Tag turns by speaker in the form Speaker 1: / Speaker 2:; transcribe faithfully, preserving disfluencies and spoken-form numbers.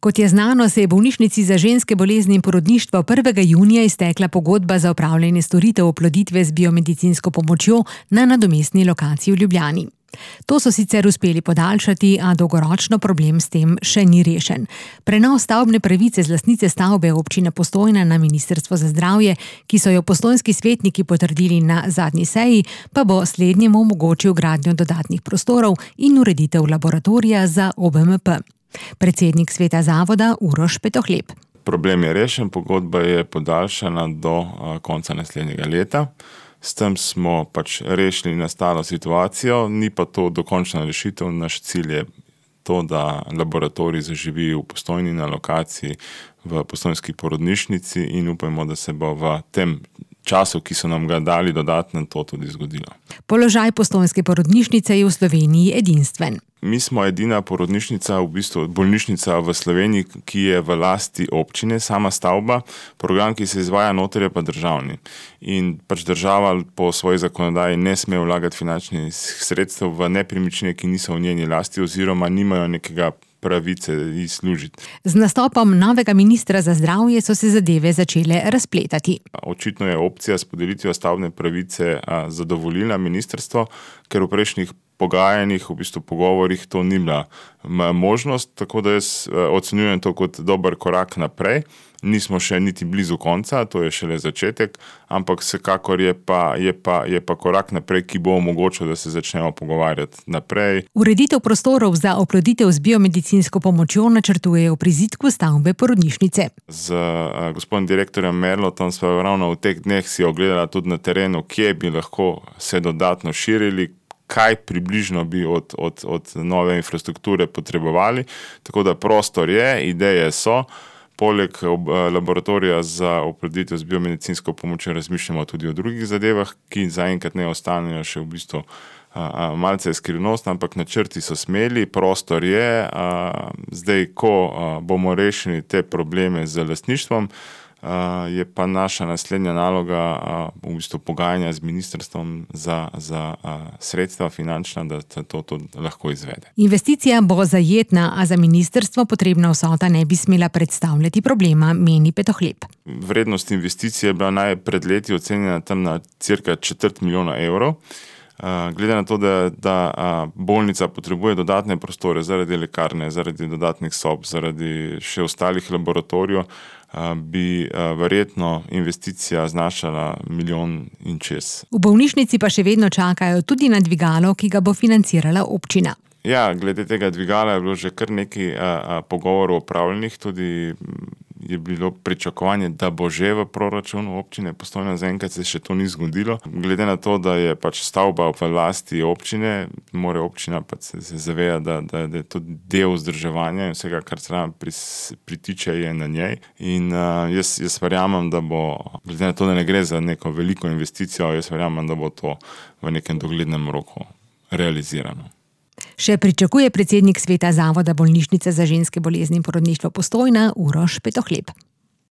Speaker 1: Kot je znano, se je bolnišnici za ženske bolezni in porodništvo prvega junija iztekla pogodba za opravljanje storitev oploditve z biomedicinsko pomočjo na nadomestni lokaciji v Ljubljani. To so sicer uspeli podaljšati, a dolgoročno problem s tem še ni rešen. Prenos stavbne pravice z lastnice stavbe občine Postojna na Ministrstvo za zdravje, ki so jo postojnski svetniki potrdili na zadnji seji, pa bo slednjemu omogočil gradnjo dodatnih prostorov in ureditev laboratorija za O B M P. Predsednik sveta zavoda Uroš Petohlep.
Speaker 2: Problem je rešen, pogodba je podaljšana do konca naslednjega leta. S tem smo pač rešili nastalo situacijo, ni pa to dokončna rešitev. Naš cilj je to, da laboratorij zaživi v Postojni na lokaciji v postojnski porodnišnici in upajmo, da se bo v tem času, ki so nam ga dali dodatno, to tudi zgodilo.
Speaker 1: Položaj postojnske porodnišnice je v Sloveniji edinstven.
Speaker 2: Mi smo edina porodnišnica, v bistvu bolnišnica v Sloveniji, ki je v lasti občine, sama stavba, program, ki se izvaja noter, je pa državni. In pač država po svoji zakonodaji ne sme vlagati finančnih sredstev v nepremičnine, ki niso v njeni lasti oziroma nimajo nekega pravice izslužiti.
Speaker 1: Z nastopom novega ministra za zdravje so se zadeve začele razpletati.
Speaker 2: Očitno je opcija s podelitvijo stavbne pravice zadovoljila ministrstvo, ker v prejšnjih pogajanjih, v bistvu pogovorih, to ni bila možnost, tako da jaz ocenjujem to kot dober korak naprej. Nismo še niti blizu konca, to je šele začetek, ampak vsekakor je pa, je pa, je pa korak naprej, ki bo omogočil, da se začnemo pogovarjati naprej.
Speaker 1: Ureditev prostorov za oploditev z biomedicinsko pomočjo načrtujejo v prizidku stavbe porodnišnice.
Speaker 2: Z uh, gospodom direktorjem Merlotom smo ravno v teh dneh si ogledala tudi na terenu, kje bi lahko se dodatno širili, kaj približno bi od, od, od nove infrastrukture potrebovali. Tako da prostor je, ideje so. Poleg laboratorija za oploditev z biomedicinsko pomočjo razmišljamo tudi o drugih zadevah, ki zaenkrat ne ostanejo še v bistvu a, a, malce skrivnostne, ampak načrti so smeli, prostor je. A, zdaj, ko a, bomo rešili te probleme z lastništvom, a, je pa naša naslednja naloga a, v bistvu pogajanja z ministrstvom za, za a, sredstva finančna, da se to, to lahko izvede.
Speaker 1: Investicija bo zajetna, a za ministrstvo potrebna vsota ne bi smela predstavljati problema, meni Petohlep.
Speaker 2: Vrednost investicije je bila naj pred leti ocenjena tam na cirka četrt milijona evrov. Glede na to, da, da bolnica potrebuje dodatne prostore zaradi lekarne, zaradi dodatnih sob, zaradi še ostalih laboratorijev, bi verjetno investicija znašala milijon in čez.
Speaker 1: V bolnišnici pa še vedno čakajo tudi na dvigalo, ki ga bo financirala občina.
Speaker 2: Ja, glede tega dvigala je bilo že kar nekaj a, a, pogovorov opravljenih, tudi je bilo pričakovanje, da bo že v proračunu občine Postojna, zaenkrat se še to ni zgodilo. Glede na to, da je pač stavba v lasti občine, mora občina pač se zaveja, da, da, da je to del vzdrževanja in vsega, kar se nam pritiče, je na njej. In uh, jaz, jaz verjamem, da bo, glede na to, da ne gre za neko veliko investicijo, jaz verjamem, da bo to v nekem doglednem roku realizirano.
Speaker 1: Še pričakuje predsednik sveta zavoda bolnišnice za ženske bolezni in porodništvo Postojna Uroš Petohlep.